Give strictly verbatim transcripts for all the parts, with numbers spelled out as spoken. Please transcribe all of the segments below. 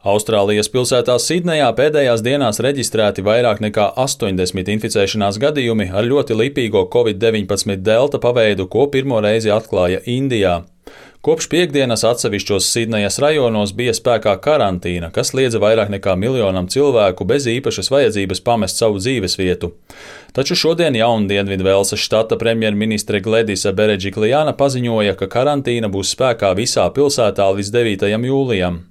Austrālijas pilsētā Sidnejā pēdējās dienās reģistrēti vairāk nekā astoņdesmit inficēšanās gadījumi ar ļoti lipīgo covid deviņpadsmit delta paveidu, ko pirmo reizi atklāja Indijā. Kopš piektdienas atsevišķos Sidnejas rajonos bija spēkā karantīna, kas liedza vairāk nekā miljonam cilvēku bez īpašas vajadzības pamest savu dzīvesvietu. Taču šodien Jaundienvidvelsas štata premjerministre Gledisa Beredžiklijāna paziņoja, ka karantīna būs spēkā visā pilsētā līdz devītajam jūlijam.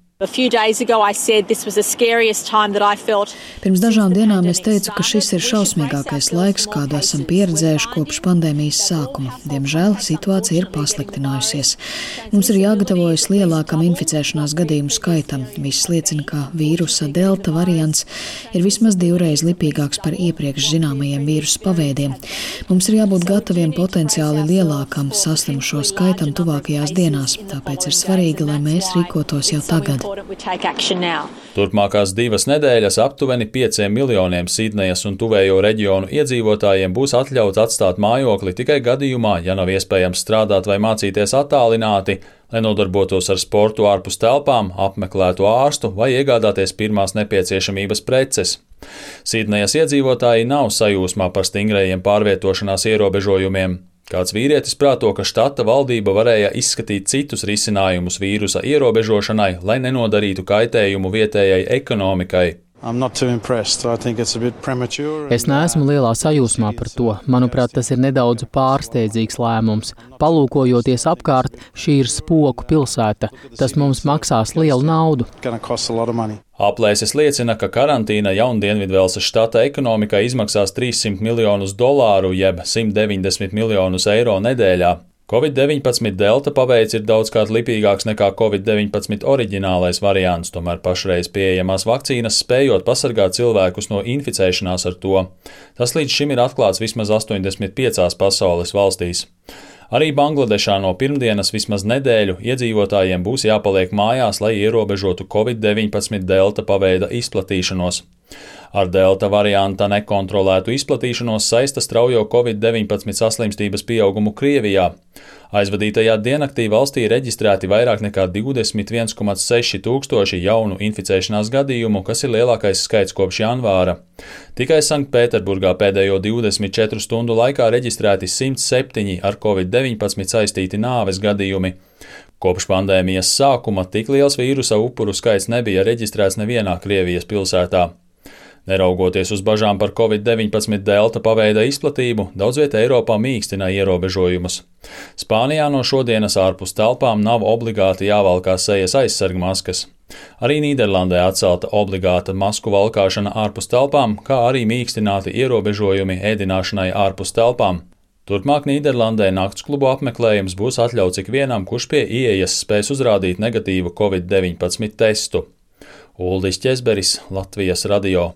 Pirms dažām dienām es teicu, ka šis ir šausmīgākais laiks, kādu esam pieredzējuši kopš pandēmijas sākuma. Diemžēl situācija ir pasliktinājusies. Mums ir jāgatavojas lielākam inficēšanās gadījumu skaitam. Viss liecina, ka vīrusa delta variants ir vismaz divreiz lipīgāks par iepriekš zināmajiem vīrusa paveidiem. Mums ir jābūt gataviem potenciāli lielākam saslimušo skaitam tuvākajās dienās, tāpēc ir svarīgi, lai mēs rīkotos jau tagad. Turpmākās divas nedēļas aptuveni pieciem miljoniem Sidnejas un tuvējo reģionu iedzīvotājiem būs atļauts atstāt mājokli tikai gadījumā, ja nav iespējams strādāt vai mācīties attālināti, lai nodarbotos ar sportu ārpus telpām, apmeklētu ārstu vai iegādāties pirmās nepieciešamības preces. Sidnejas iedzīvotāji nav sajūsmā par stingrajiem pārvietošanās ierobežojumiem. Kāds vīrietis prāto, ka štata valdība varēja izskatīt citus risinājumus vīrusa ierobežošanai, lai nenodarītu kaitējumu vietējai ekonomikai. Es neesmu lielā sajūsmā par to. Manuprāt, tas ir nedaudz pārsteidzīgs lēmums. Palūkojoties apkārt, šī ir spoku pilsēta. Tas mums maksās lielu naudu. Aplēses liecina, ka karantīna Jaundienvidvelsas štata ekonomikai izmaksās trīssimt miljonus dolāru jeb simt deviņdesmit miljonus eiro nedēļā. covid deviņpadsmit delta paveids ir daudzkārt lipīgāks nekā covid deviņpadsmit oriģinālais variants, tomēr pašreiz pieejamās vakcīnas spējot pasargāt cilvēkus no inficēšanās ar to. Tas līdz šim ir atklāts vismaz astoņdesmit piecās pasaules valstīs. Arī Bangladešā no pirmdienas vismaz nedēļu iedzīvotājiem būs jāpaliek mājās, lai ierobežotu covid deviņpadsmit delta paveida izplatīšanos. Ar delta varianta nekontrolētu izplatīšanos saista straujo covid deviņpadsmit saslimstības pieaugumu Krievijā. Aizvadītajā diennaktī valstī reģistrēti vairāk nekā divdesmit viens komats seši tūkstoši jaunu inficēšanās gadījumu, kas ir lielākais skaits kopš janvāra. Tikai Sanktpēterburgā pēdējo divdesmit četru stundu laikā reģistrēti simt septiņi ar covid deviņpadsmit saistīti nāves gadījumi. Kopš pandēmijas sākuma tik liels vīrusa upuru skaits nebija reģistrēts nevienā Krievijas pilsētā. Neraugoties uz bažām par covid deviņpadsmit delta paveida izplatību, daudz vieta Eiropā mīkstina ierobežojumus. Spānijā no šodienas ārpus telpām nav obligāti jāvalkā sejas aizsargmaskas. Arī Nīderlandē atcelta obligāta masku valkāšana ārpus telpām, kā arī mīkstināti ierobežojumi ēdināšanai ārpus telpām. Turpmāk Nīderlandē naktsklubu apmeklējums būs atļauts ikvienam, kurš pie ieejas spēs uzrādīt negatīvu covid deviņpadsmit testu. Uldis Ķezberis, Latvijas radio.